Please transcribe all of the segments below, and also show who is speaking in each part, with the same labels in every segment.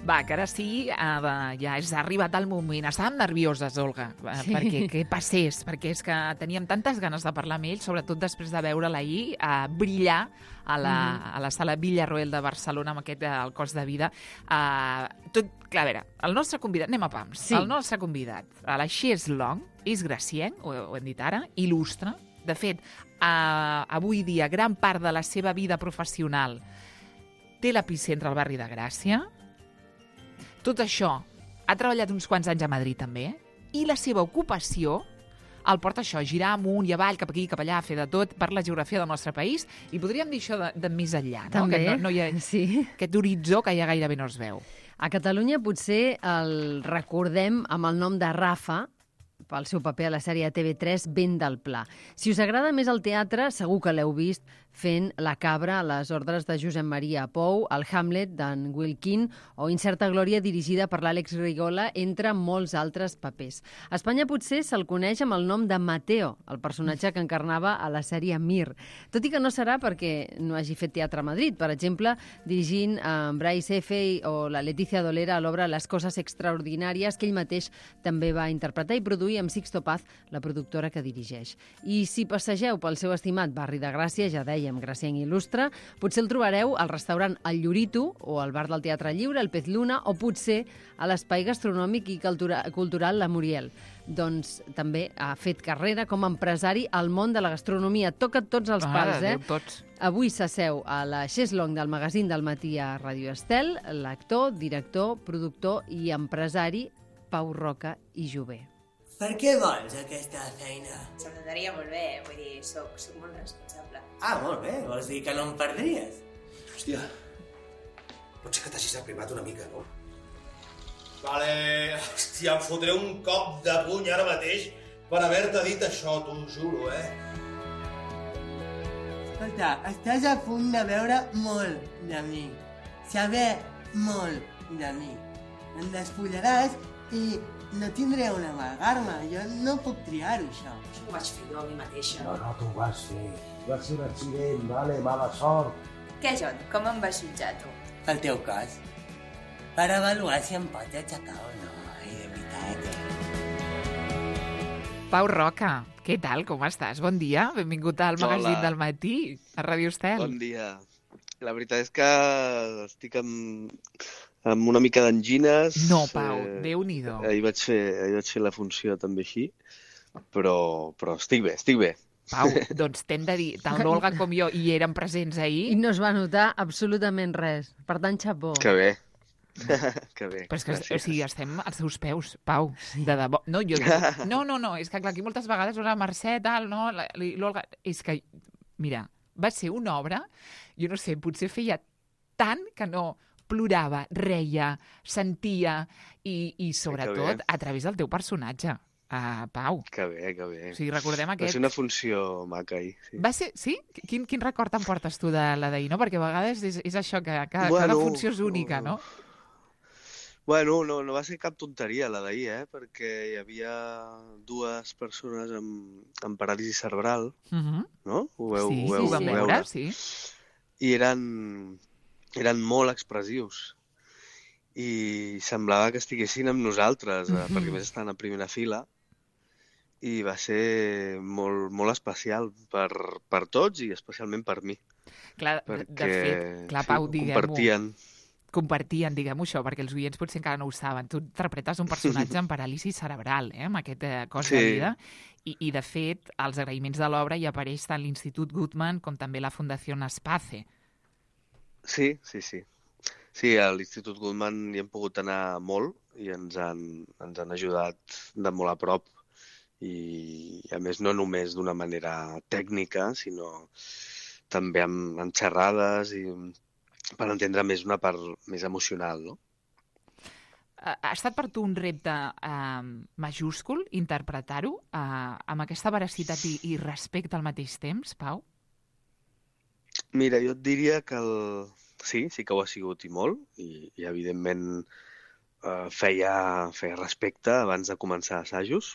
Speaker 1: Va, que ara sí, ja ha arribat el moment. Estàvem nervioses, Olga, perquè què passés, perquè és que teníem tantes ganes de parlar amb ell, sobretot després de veure-la ahir brillar a la sala Villarroel de Barcelona amb aquest el cost de vida. Tot, clar, a veure, el nostre convidat, anem a pams, sí. El nostre convidat, a la Xes Long, és gracienc, ho hem dit ara, il·lustre. De fet, avui dia, gran part de la seva vida professional té l'epicentre al barri de Gràcia. Tot això, ha treballat uns quants anys a Madrid també, i la seva ocupació el porta això, a girar amunt i avall, cap aquí, cap allà, a fer de tot per la geografia del nostre país, i podríem dir això de més enllà, no?
Speaker 2: També,
Speaker 1: que no hi ha,
Speaker 2: sí.
Speaker 1: Aquest horitzó que ja gairebé no es veu.
Speaker 2: A Catalunya potser el recordem amb el nom de Rafa, pel seu paper a la sèrie TV3 Vent del Pla. Si us agrada més el teatre, segur que l'heu vist fent La Cabra a les ordres de Josep Maria Pou, el Hamlet d'en Wilkin o Incerta Glòria dirigida per l'Àlex Rigola, entre molts altres papers. A Espanya potser se'l coneix amb el nom de Mateo, el personatge que encarnava a la sèrie Mir. Tot i que no serà perquè no hagi fet teatre a Madrid. Per exemple, dirigint Bryce Effey o la Letícia Dolera a l'obra Les coses extraordinàries, que ell mateix també va interpretar i produir amb Sixto Paz, la productora que dirigeix. I si passegeu pel seu estimat barri de Gràcia, ja dèiem, gracienc il·lustre, potser el trobareu al restaurant El Llorito o al bar del Teatre Lliure, el Pez Luna, o potser a l'espai gastronòmic i cultural La Muriel. Doncs també ha fet carrera com a empresari al món de la gastronomia. Toca tots els pals,
Speaker 1: Tots.
Speaker 2: Avui s'asseu a la Xes Long del magazín del matí a Ràdio Estel, l'actor, director, productor i empresari Pau Roca i Jové.
Speaker 3: Per què vols aquesta feina?
Speaker 4: Se'm donaria molt bé, vull dir, soc molt responsable.
Speaker 3: Molt bé, vols dir que no em perdries?
Speaker 5: Hòstia, potser que t'hagis aprimat una mica, no? Vale, hòstia, em fotré un cop de puny ara mateix per haver-te dit això, t'ho juro,
Speaker 3: Escolta, estàs a punt de veure molt de mi. Saber molt de mi. Em despullaràs i no tindré on amagar-me. Jo no puc triar-ho, això.
Speaker 4: Això ho vaig fer jo a mi mateixa.
Speaker 6: No, tu ho vas fer. Va ser un accident, vale? Mala sort.
Speaker 4: Què, John? Com em vas jutjar, tu?
Speaker 3: El teu cos. Per avaluar si em pots aixecar o no. Ai, de veritat.
Speaker 1: Pau Roca, què tal? Com estàs? Bon dia, benvingut al magazín del matí, a Ràdio Estel.
Speaker 7: Bon dia. La veritat és que estic amb una mica d'angines.
Speaker 1: No, Pau, Déu-n'hi-do.
Speaker 7: Ahir vaig fer la funció també així, però estic bé.
Speaker 1: Pau, doncs t'hem de dir, tant l'Olga com jo hi érem presents ahir.
Speaker 2: I no es va notar absolutament res. Per tant, xapó.
Speaker 7: Que bé. Que bé.
Speaker 1: Però és que,
Speaker 7: gràcies.
Speaker 1: o sigui, estem als teus peus, Pau, de debò. No, és que clar, aquí moltes vegades la Mercè, tal, no, l'Olga... És que, mira, va ser una obra, jo no sé, potser feia tant que no plorava, reia, sentia i sobretot a través del teu personatge, Pau.
Speaker 7: Que bé.
Speaker 1: O sigui, recordem aquest...
Speaker 7: Va ser una funció maca ahir. Sí.
Speaker 1: Va ser, sí? Quin record te'n portes tu de la d'ahir, no? Perquè a vegades és això, que cada funció és única, no?
Speaker 7: Bueno, no va ser cap tonteria la d'ahir, perquè hi havia dues persones amb paràlisi cerebral, no? Ho vam veure,
Speaker 1: sí.
Speaker 7: I eren molt expressius i semblava que estiguessin amb nosaltres, perquè a més estaven a primera fila, i va ser molt, molt especial per tots i especialment per mi.
Speaker 1: Clar, de fet, Pau, diguem-ho. Compartien, diguem-ho això, perquè els oients potser encara no ho saben. Tu interpretes un personatge amb paràlisi cerebral, amb aquest cos de vida, i de fet, als agraïments de l'obra hi apareix tant l'Institut Guttmann com també la Fundació Espace.
Speaker 7: Sí. Sí, a l'Institut Guttmann hi hem pogut anar molt i ens han ajudat de molt a prop. I, a més, no només d'una manera tècnica, sinó també amb xerrades i per entendre més una part més emocional, no?
Speaker 1: Ha estat per tu un repte majúscul interpretar-ho amb aquesta veracitat i respecte al mateix temps, Pau?
Speaker 7: Mira, jo et diria que sí que ho ha sigut i molt, i evidentment feia respecte abans de començar assajos,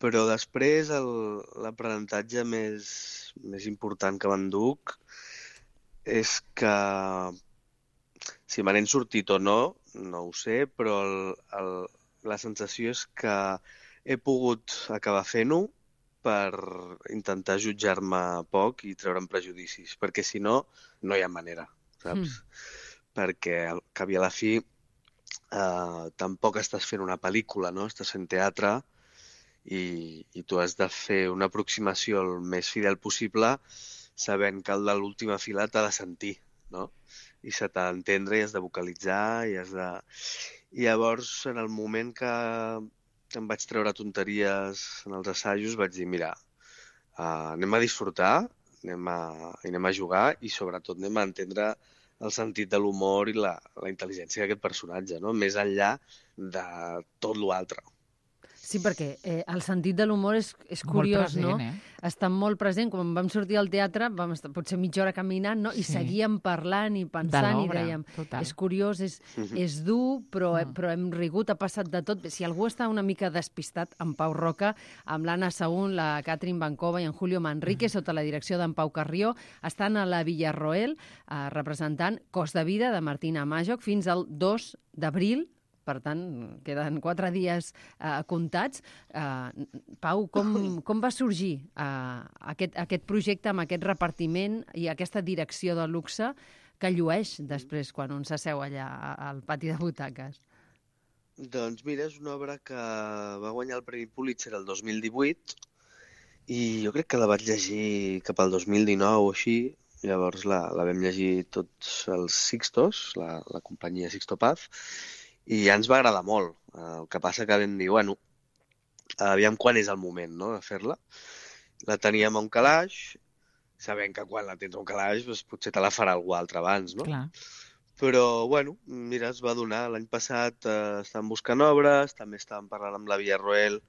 Speaker 7: però després l'aprenentatge més important que m'enduc és que Si me n'he sortit o no, no ho sé, però la sensació és que he pogut acabar fent-ho per intentar jutjar-me poc i treure'm prejudicis, perquè si no, no hi ha manera, saps? Perquè al cap i a la fi tampoc estàs fent una pel·lícula, no? Estàs fent teatre i tu has de fer una aproximació el més fidel possible sabent que el de l'última fila t'ha de sentir, no? I se t'ha d'entendre i has de vocalitzar i has de... I llavors, en el moment que em vaig treure tonteries en els assajos, vaig dir, mira, anem a disfrutar, anem a jugar i sobretot anem a entendre el sentit de l'humor i la intel·ligència d'aquest personatge, no? Més enllà de tot l'altre.
Speaker 2: Sí, perquè el sentit de l'humor és curiós,
Speaker 1: present,
Speaker 2: no? Està molt present. Quan vam sortir al teatre, vam estar potser mitja hora caminant, no? I seguíem parlant i pensant i dèiem, és curiós, és dur, però hem rigut, ha passat de tot. Si algú està una mica despistat, en Pau Roca, amb l'Anna Saún, la Catherine Bancova i en Julio Manrique, sota la direcció d'en Pau Carrió, estan a la Villarroel representant Cost de vida de Martina Majoc fins al 2 d'abril. Per tant, queden 4 dies comptats. Pau, com va sorgir aquest projecte amb aquest repartiment i aquesta direcció de luxe que llueix després quan un s'asseu allà al pati de butaques?
Speaker 7: Doncs mira, és una obra que va guanyar el Premi Pulitzer el 2018 i jo crec que la vaig llegir cap al 2019 o així. Llavors la vam llegir tots els Sixtos, la companyia Sixto Paz, i ja ens va agradar molt. El que passa que vam dir, bueno, aviam quan és el moment, no?, de fer-la. La teníem a un calaix, sabent que quan la tens a un calaix doncs potser te la farà algú altre abans, no?
Speaker 1: Clar.
Speaker 7: Però, bueno, mira, es va donar. L'any passat estàvem buscant obres, també estàvem parlant amb la Villarroel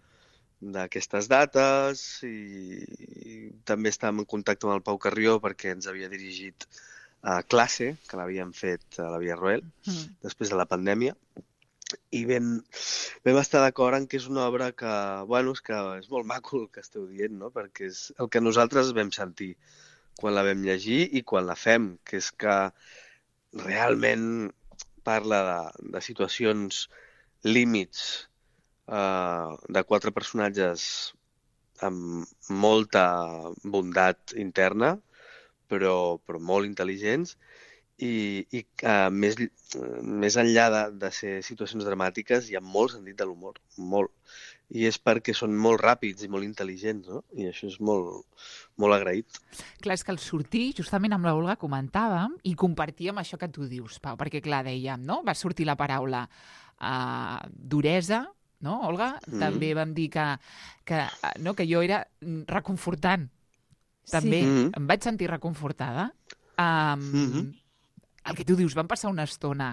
Speaker 7: d'aquestes dates i també estàvem en contacte amb el Pau Carrió perquè ens havia dirigit a Classe, que l'havíem fet a la Villarroel, després de la pandèmia, i vam estar d'acord en que és una obra que, bueno, és molt maco el que esteu dient, no?, perquè és el que nosaltres vam sentir quan la vam llegir i quan la fem, que és que realment parla de situacions límits de 4 personatges amb molta bondat interna, però molt intel·ligents i més enllà de ser situacions dramàtiques hi ha molt sentit de l'humor, molt. I és perquè són molt ràpids i molt intel·ligents, no? I això és molt, molt agraït.
Speaker 1: Clar, és que al sortir, justament amb l'Olga comentàvem i compartíem això que tu dius, Pau, perquè clar, dèiem, no? Va sortir la paraula duresa, no, Olga? També vam dir que jo era reconfortant. També em vaig sentir reconfortada. El que tu dius, vam passar una estona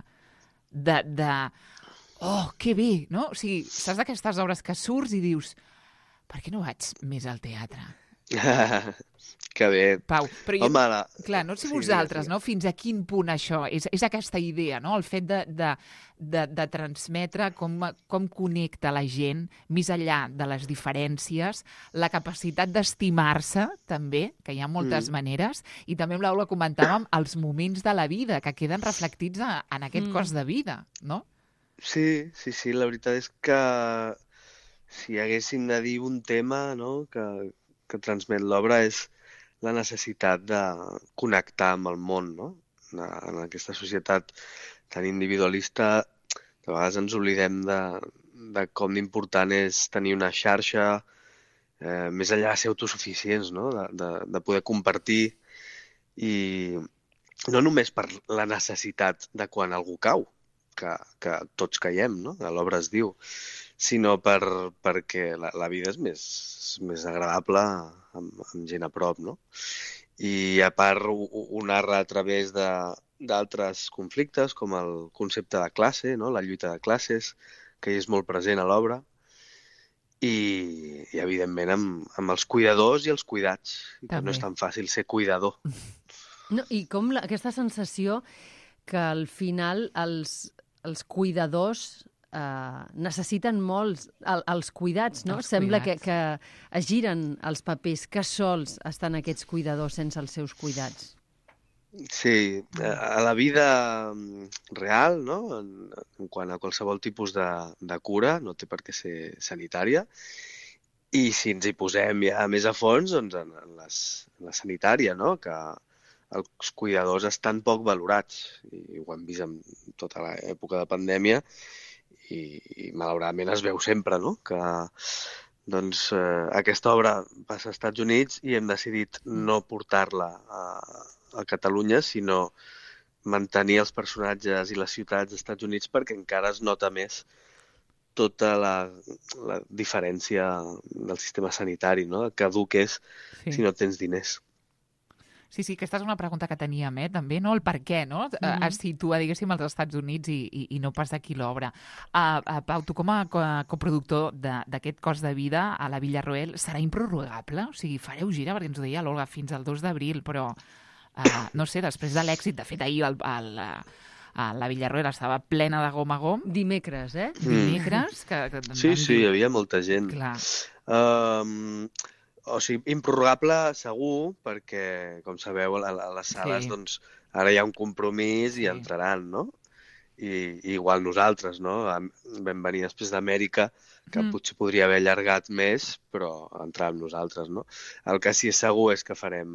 Speaker 1: de oh, que bé, no? O sigui, saps d'aquestes obres que surts i dius, per què no vaig més al teatre?
Speaker 7: Que bé.
Speaker 1: Pau, però jo,
Speaker 7: home,
Speaker 1: clar, no sé vosaltres, no? Fins a quin punt això és aquesta idea, no? El fet de transmetre com connecta la gent més enllà de les diferències, la capacitat d'estimar-se, també, que hi ha moltes maneres, i també amb l'Aula comentàvem els moments de la vida que queden reflectits en aquest cos de vida, no?
Speaker 7: Sí, la veritat és que si haguéssim de dir un tema, no?, que transmet l'obra és la necessitat de connectar amb el món, no? En aquesta societat tan individualista, de vegades ens oblidem de com d'important és tenir una xarxa, més enllà de ser autosuficients, no? De poder compartir i no només per la necessitat de quan algú cau, que tots caiem, no? A l'obra es diu, sinó perquè la vida és més agradable amb gent a prop, no? I a part ho narra a través d'altres conflictes, com el concepte de classe, no? La lluita de classes, que és molt present a l'obra, i evidentment amb els cuidadors i els cuidats, que no és tan fàcil ser cuidador.
Speaker 2: No, i com aquesta sensació que al final els cuidadors necessiten molt els cuidats, no? Sembla que es giren els papers, que sols estan aquests cuidadors sense els seus cuidats.
Speaker 7: Sí, a la vida real, no? En quant a qualsevol tipus de cura, no té per què ser sanitària. I si ens hi posem ja més a fons, doncs en la sanitària, no? Que els cuidadors estan poc valorats. I ho hem vist en tota l'època de pandèmia i malauradament es veu sempre, no? Que doncs, aquesta obra passa als Estats Units i hem decidit no portar-la a Catalunya, sinó mantenir els personatges i les ciutats dels Estats Units perquè encara es nota més tota la diferència del sistema sanitari, no? Que dur que és si no tens diners.
Speaker 1: Sí, aquesta és una pregunta que teníem, també, no? El per què, no? Es situa, diguéssim, als Estats Units i no pas d'aquí l'obra. Pau, tu com a coproductor d'aquest Cost de vida a la Villarroel, serà improrrogable? O sigui, fareu gira, perquè ens ho deia l'Olga, fins al 2 d'abril, però, no sé, després de l'èxit, de fet, ahir la Villarroel estava plena de gom a gom.
Speaker 2: Dimecres,
Speaker 1: Dimecres.
Speaker 7: Sí, hi havia molta gent.
Speaker 1: Clar.
Speaker 7: O sigui, improrrogable segur, perquè, com sabeu, a les sales, doncs, ara hi ha un compromís i entraran, no? I igual nosaltres, no? Vam venir després d'Amèrica, que potser podria haver allargat més, però entrar amb nosaltres, no? El que sí és segur és que farem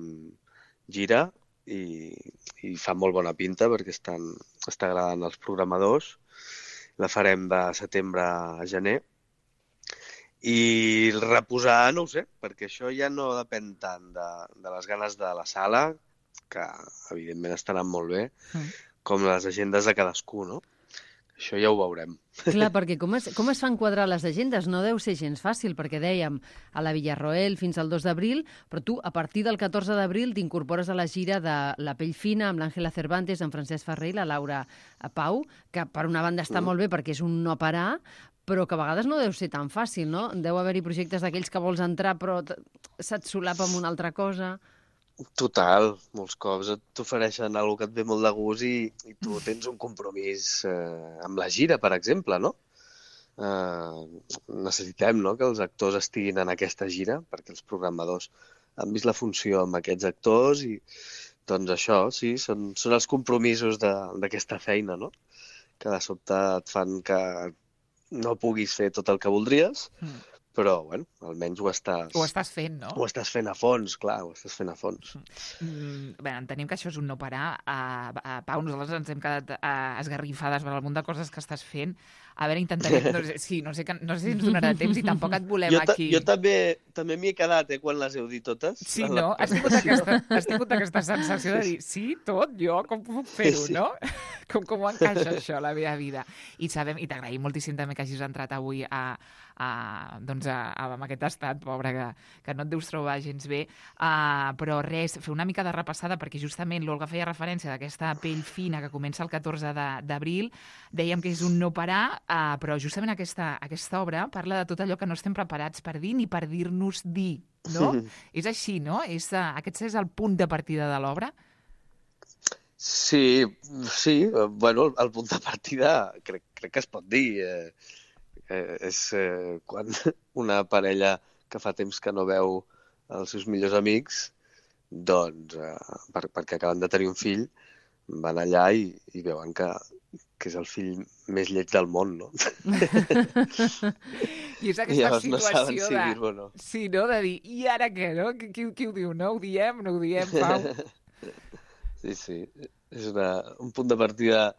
Speaker 7: gira i fa molt bona pinta perquè està agradant als programadors. La farem de setembre a gener. I reposar, no ho sé, perquè això ja no depèn tant de les ganes de la sala, que evidentment estaran molt bé, com les agendes de cadascú, no? Això ja ho veurem.
Speaker 2: Clar, perquè com es fan quadrar les agendes? No deu ser gens fàcil, perquè dèiem a la Villarroel fins al 2 d'abril, però tu, a partir del 14 d'abril, t'incorpores a la gira de La pell fina amb l'Àngela Cervantes, en Francesc Ferrer i la Laura Pau, que per una banda està molt bé perquè és un no parar, però que a vegades no deu ser tan fàcil, no? Deu haver-hi projectes d'aquells que vols entrar però se't solapa amb una altra cosa.
Speaker 7: Total, molts cops t'ofereixen alguna que et ve molt de gust i tu tens un compromís amb la gira, per exemple, no? Necessitem, no?, que els actors estiguin en aquesta gira perquè els programadors han vist la funció amb aquests actors i doncs això, sí, són els compromisos d'aquesta feina, no? Que de sobte et fan que no puguis fer tot el que voldries, però, bueno, almenys ho estàs
Speaker 1: fent, no?
Speaker 7: Ho estàs fent a fons, clar, ho estàs fent a fons.
Speaker 1: Bé, entenem que això és un no parar. Pau, nosaltres ens hem quedat esgarrifades per el munt de coses que estàs fent. A veure, intentarem... No sé si ens donarà temps i tampoc et volem aquí...
Speaker 7: Jo també m'hi he quedat, quan les heu dit totes.
Speaker 1: Sí, no? Has tingut aquesta sensació de dir, sí, tot, jo, com puc fer-ho, no? Com ho encaixa això a la meva vida? I t'agraïm moltíssim també que hagis entrat avui amb aquest estat, pobre, que no et deus trobar gens bé. Però res, fer una mica de repassada, perquè justament l'Olga feia referència d'aquesta pell fina que comença el 14 d'abril. Dèiem que és un no parar, però justament aquesta obra parla de tot allò que no estem preparats per dir ni per dir-nos dir, no? És així, no? Aquest és el punt de partida de l'obra?
Speaker 7: Sí, bueno, el punt de partida crec que es pot dir. És quan una parella que fa temps que no veu els seus millors amics, doncs, perquè acaben de tenir un fill, van allà i veuen que és el fill més lleig del món, no?
Speaker 1: I és aquesta situació
Speaker 7: no saben si dir-ho o no.
Speaker 1: Sí, no? De dir, i ara què, no? Qui ho diu? No ho diem, Pau?
Speaker 7: Sí. És un punt de partida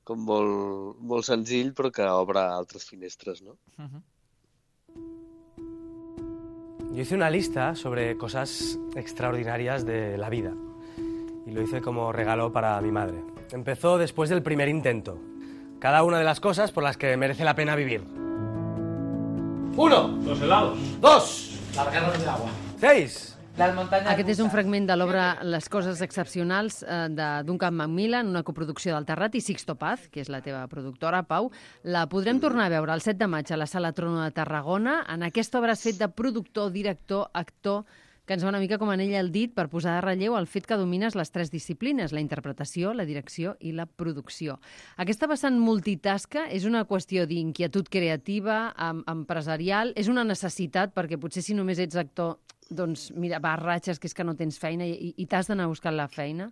Speaker 7: com molt senzill, però que obre altres finestres, ¿no?
Speaker 8: Yo hice una lista sobre cosas extraordinarias de la vida y lo hice como regalo para mi madre. Empezó después del primer intento. Cada una de las cosas por las que merece la pena vivir. 1.
Speaker 9: Los helados.
Speaker 8: 2.
Speaker 9: Las guerras de agua.
Speaker 8: 6.
Speaker 2: Aquest és un fragment de l'obra Les coses excepcionals de Duncan Macmillan, una coproducció del Terrat i Sixto Paz, que és la teva productora, Pau. La podrem tornar a veure el 7 de maig a la Sala Trono de Tarragona. En aquesta obra has fet de productor, director, actor, que ens va una mica com anell al dit per posar de relleu el fet que domines les 3 disciplines, la interpretació, la direcció i la producció. Aquesta vessant multitasca és una qüestió d'inquietud creativa, empresarial, és una necessitat perquè potser si només ets actor, doncs mira, vas ratxes que és que no tens feina i t'has d'anar buscant la feina?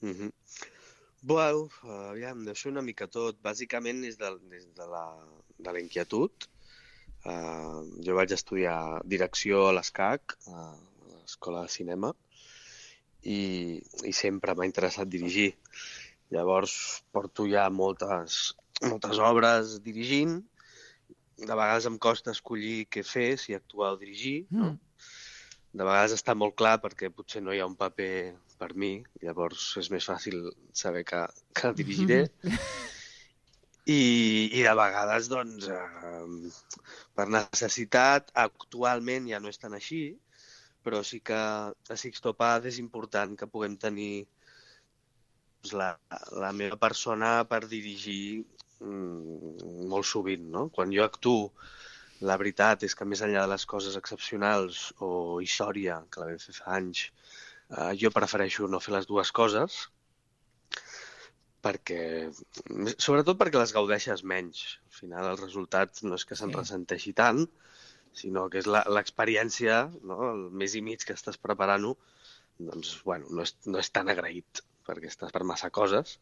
Speaker 7: Bueno, aviam, deu ser una mica tot. Bàsicament és de la inquietud. Jo vaig estudiar direcció a l'ESCAC, a l'Escola de Cinema, i sempre m'ha interessat dirigir. Llavors porto ja moltes obres dirigint. De vegades em costa escollir què fer, si actuar o dirigir, no? De vegades està molt clar perquè potser no hi ha un paper per mi, llavors és més fàcil saber que dirigiré. I de vegades, doncs, per necessitat, actualment ja no és tan així, però sí que a Sixto Paz és important que puguem tenir la meva persona per dirigir molt sovint, no? Quan jo actuo, la veritat és que més enllà de les coses excepcionals o història, que la vam fer fa anys, jo prefereixo no fer les dues coses, sobretot perquè les gaudeixes menys. Al final el resultat no és que se'n ressenteixi tant, sinó que és l'experiència, no? El mes i mig que estàs preparant-ho, doncs, bueno, no és tan agraït, perquè estàs per massa coses,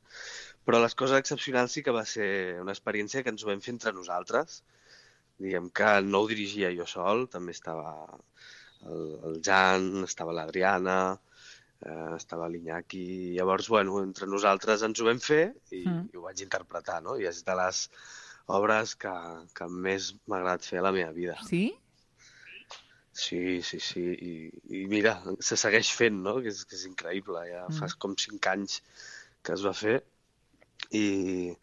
Speaker 7: però les coses excepcionals sí que va ser una experiència que ens ho vam fer entre nosaltres. Diguem que no ho dirigia jo sol, també estava el Jan, estava l'Adriana, estava l'Iñaki. Llavors, bueno, entre nosaltres ens ho vam fer i ho vaig interpretar, no? I és de les obres que més m'ha agradat fer a la meva vida.
Speaker 1: Sí?
Speaker 7: Sí. I mira, se segueix fent, no? Que és increïble. Ja fa com 5 anys que es va fer i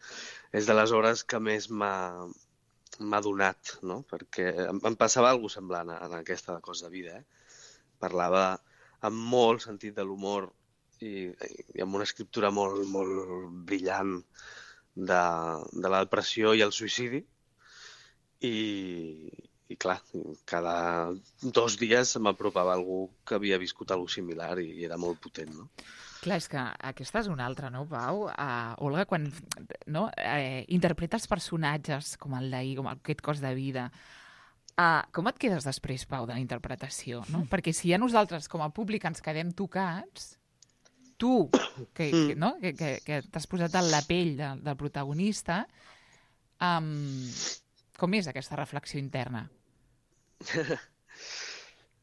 Speaker 7: és de les obres que més m'ha donat, no? Perquè em passava alguna cosa semblant en aquesta cosa de vida, Parlava amb molt sentit de l'humor i amb una escriptura molt, molt brillant de la depressió i el suïcidi i clar, cada 2 dies m'apropava algú que havia viscut alguna cosa similar i era molt potent, no?
Speaker 1: Clar, és que aquesta és una altra, no, Pau? Olga, quan interpretes personatges com el d'ahir, com aquest cos de vida, com et quedes després, Pau, de la interpretació? No? Perquè si ja nosaltres, com a públic, ens quedem tocats, tu, que t'has posat en la pell del protagonista, com és aquesta reflexió interna?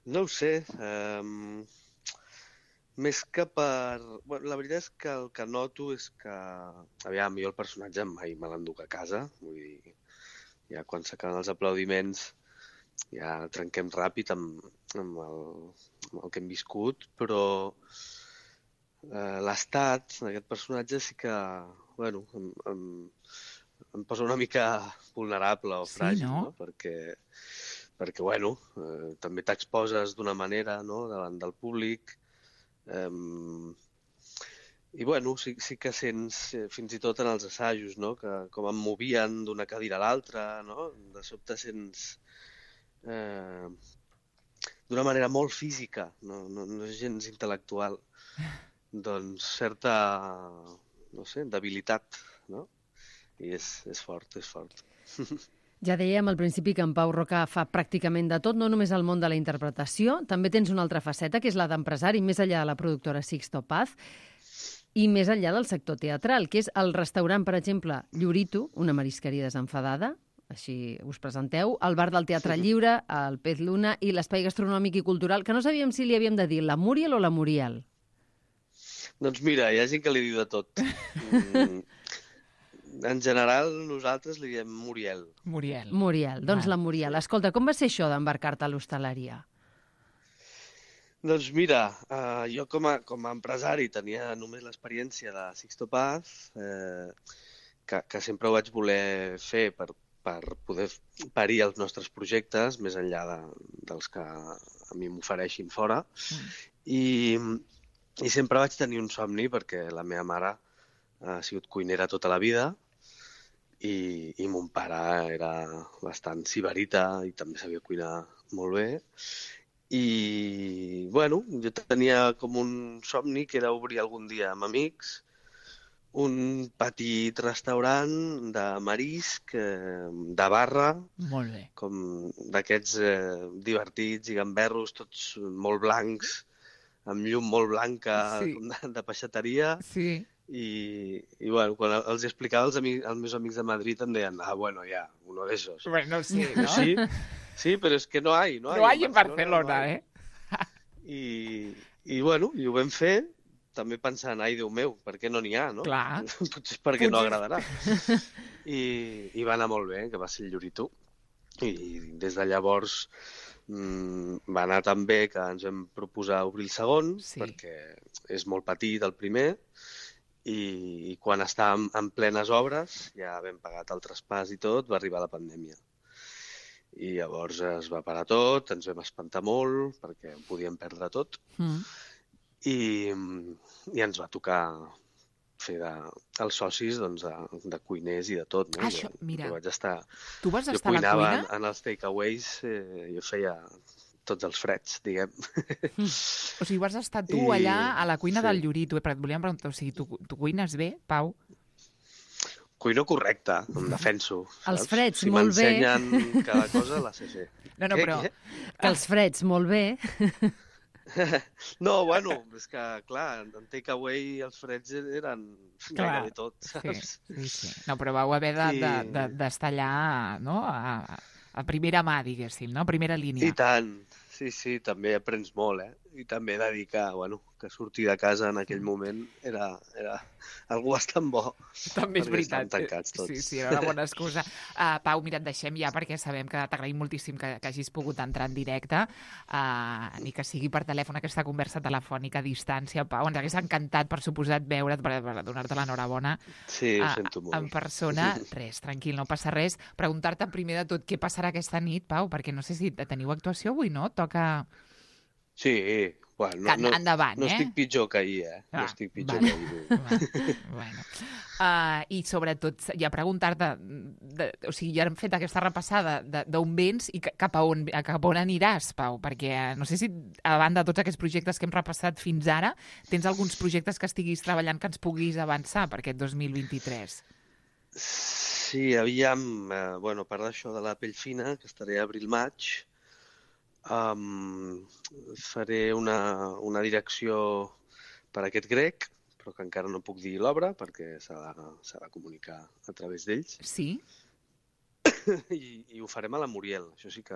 Speaker 7: No ho sé. Més que per... Bueno, la veritat és que el que noto és que... Aviam, jo el personatge mai me l'enduc a casa. Vull dir, ja quan s'acaben els aplaudiments ja trenquem ràpid amb el que hem viscut, però l'estat d'aquest personatge sí que, bueno, em posa una mica vulnerable o fràgil, no? Perquè bueno, també t'exposes d'una manera, no?, davant del públic, i bueno, sí que sents, fins i tot en els assajos, no?, que com em movien d'una cadira a l'altra, no?, de sobte sents d'una manera molt física, no és gens intel·lectual, doncs certa, no sé, debilitat, no? I és fort, és fort.
Speaker 2: Ja dèiem al principi que en Pau Roca fa pràcticament de tot, no només al món de la interpretació, també tens una altra faceta, que és la d'empresari, més enllà de la productora Sixto Paz, i més enllà del sector teatral, que és el restaurant, per exemple, Llorito, una marisqueria desenfadada, així us presenteu, el bar del Teatre Lliure, el Pez Luna i l'espai gastronòmic i cultural, que no sabíem si li havíem de dir la Muriel o la Muriel.
Speaker 7: Doncs mira, hi ha gent que li diu de tot. En general, nosaltres li diem Muriel.
Speaker 2: Muriel, doncs la Muriel. Escolta, com va ser això d'embarcar-te a l'hostaleria?
Speaker 7: Doncs mira, jo com a empresari tenia només l'experiència de Sixto Paz, que sempre ho vaig voler fer per poder parir els nostres projectes, més enllà dels que a mi m'ofereixin fora. I sempre vaig tenir un somni, perquè la meva mare ha sigut cuinera tota la vida i mon pare era bastant sibarita i també sabia cuinar molt bé. I, bueno, jo tenia com un somni que era obrir algun dia amb amics un petit restaurant de marisc, de barra,
Speaker 1: molt bé,
Speaker 7: com d'aquests divertits i gamberros, tots molt blancs, amb llum molt blanca,
Speaker 1: Sí.
Speaker 7: de peixateria,
Speaker 1: Sí.
Speaker 7: i bueno, quan els explicava als meus amics de Madrid em deien, bueno, ya, uno de esos.
Speaker 1: Bueno, sí, ¿no?
Speaker 7: Sí, pero es que no hay.
Speaker 1: No hay en Barcelona,
Speaker 7: no hay. I bueno, i ho vam fer, també pensant, ai, Déu meu, per què no n'hi ha, no?
Speaker 1: Clar.
Speaker 7: Potser perquè no agradarà. I va anar molt bé, que va ser el Llorito. I des de llavors va anar tan bé que ens vam proposar obrir el segon, perquè és molt petit el primer, i quan estàvem en plenes obres, ja vam pagat el traspàs i tot, va arribar la pandèmia. I llavors es va parar tot, ens vam espantar molt, perquè ho podíem perdre tot, i ens va tocar fer els socis de cuiners i de tot. No?
Speaker 1: Això, mira,
Speaker 7: jo vaig estar,
Speaker 1: tu vas estar a la
Speaker 7: cuinava
Speaker 1: cuina?
Speaker 7: en els takeaways, jo feia tots els freds, diguem.
Speaker 1: O sigui, vas estar tu allà a la cuina del Llorito, però et volíem preguntar, o sigui, tu cuines bé, Pau?
Speaker 7: Cuino correcte, em defenso.
Speaker 2: Els freds,
Speaker 7: si
Speaker 2: molt bé.
Speaker 7: Si m'ensenyen cada cosa, la sé fer.
Speaker 1: No, però...
Speaker 2: Que els freds, molt bé.
Speaker 7: No, bueno, és que, clar, en takeaway els freds eren gairebé tot, saps?
Speaker 1: Sí. No, però vau haver d'estar allà, no?, a primera mà, diguéssim, no?, a primera línia.
Speaker 7: I tant, sí, també aprens molt, I també dedicar, bueno, que sortir de casa en aquell moment era algú bastant bo.
Speaker 1: També és veritat.
Speaker 7: Perquè tancats tots.
Speaker 1: Sí, era una bona excusa. Pau, mira, et deixem ja perquè sabem que t'agraïm moltíssim que hagis pogut entrar en directe, ni que sigui per telèfon, aquesta conversa telefònica a distància. Pau, ens hagués encantat, per suposat, veure't, per donar-te l'enhorabona.
Speaker 7: Sí, ho sento molt.
Speaker 1: En persona. Res, tranquil, no passa res. Preguntar-te primer de tot què passarà aquesta nit, Pau, perquè no sé si teniu actuació avui, no? Toca...
Speaker 7: Sí, bueno,
Speaker 1: endavant,
Speaker 7: no estic pitjor que ahir, No estic pitjor que ahir.
Speaker 1: Bueno. I sobretot, ja preguntar-te, o sigui, ja hem fet aquesta repassada d'on vens i cap a on aniràs, Pau, perquè no sé si, a banda de tots aquests projectes que hem repassat fins ara, tens alguns projectes que estiguis treballant que ens puguis avançar per aquest 2023?
Speaker 7: Sí, aviam, bueno, a part d'això de la pell fina, que estaré a abril-maig, faré una direcció per aquest grec, però que encara no puc dir l'obra perquè s'ha de comunicar a través d'ells.
Speaker 1: Sí?
Speaker 7: I ho farem a la Muriel, això sí que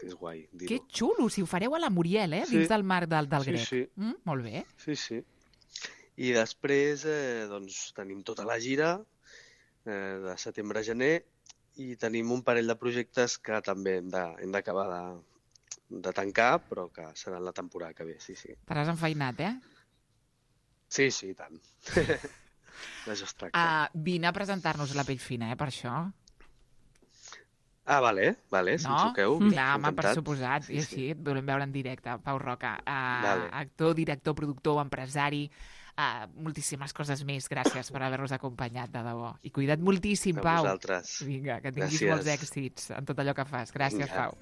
Speaker 7: és guai dir-ho.
Speaker 1: Que xulo, si ho fareu a la Muriel, dins del marc del grec.
Speaker 7: Sí.
Speaker 1: Molt bé.
Speaker 7: Sí. I després doncs, tenim tota la gira de setembre a gener i tenim un parell de projectes que també hem d'acabar de tancar, però que seran la temporada que ve, sí.
Speaker 1: T'has enfeinat,
Speaker 7: Sí, i tant. D'això es tracta.
Speaker 1: Vine a presentar-nos la pell fina, per això.
Speaker 7: Vale, si em truqueu.
Speaker 1: Clar, home, per suposat. I així et volem veure en directe. Pau Roca, actor, director, productor, empresari, moltíssimes coses més. Gràcies per haver-nos acompanyat, de debò. I cuida't moltíssim, Pau.
Speaker 7: A vosaltres.
Speaker 1: Vinga, que tinguis molts èxits en tot allò que fas. Gràcies, Pau.